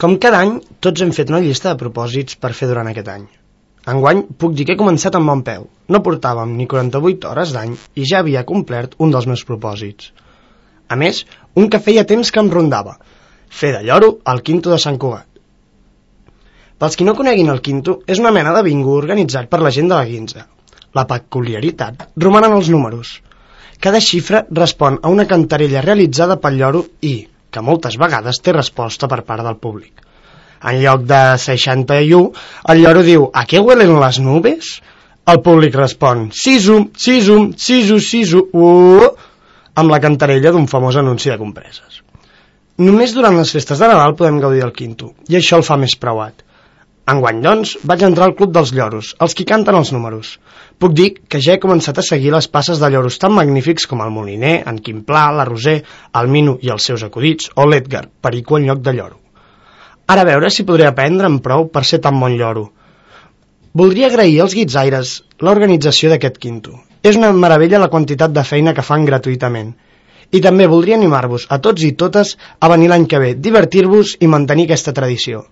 Com cada any, tots hem fet una llista de propòsits per fer durant aquest any. Enguany puc dir que he començat amb bon peu. No portàvem ni 48 hores d'any i ja havia complert un dels meus propòsits. A més, un que feia temps que em rondava: fer de lloro al Quinto de Sant Cugat. Pels qui no coneguin el Quinto, és una mena de bingo organitzat per la gent de la Guinza. La peculiaritat roman en els números. Cada xifra respon a una cantarella realitzada pel lloro i, que moltes vegades té resposta per part del públic. En lloc de 61, el lloro diu: ¿a què huelen les nubes? El públic respon: sisu, sisu, sisu, sisu, amb la cantarella d'un famós anunci de compreses. Només durant les festes de Nadal podem gaudir del Quinto, i això el fa més preuat. Enguany, doncs, vaig entrar al Club dels Lloros, els qui canten els números. Puc dir que ja he començat a seguir les passes de lloros tan magnífics com el Moliner, en Quim Pla, la Roser, el Mino i els seus acudits, o l'Edgar, perico en lloc de lloro. Ara a veure si podré aprendre'n prou per ser tan bon lloro. Voldria agrair als guitzaires l'organització d'aquest Quinto. És una meravella la quantitat de feina que fan gratuïtament. I també voldria animar-vos a tots i totes a venir l'any que ve, divertir-vos i mantenir aquesta tradició.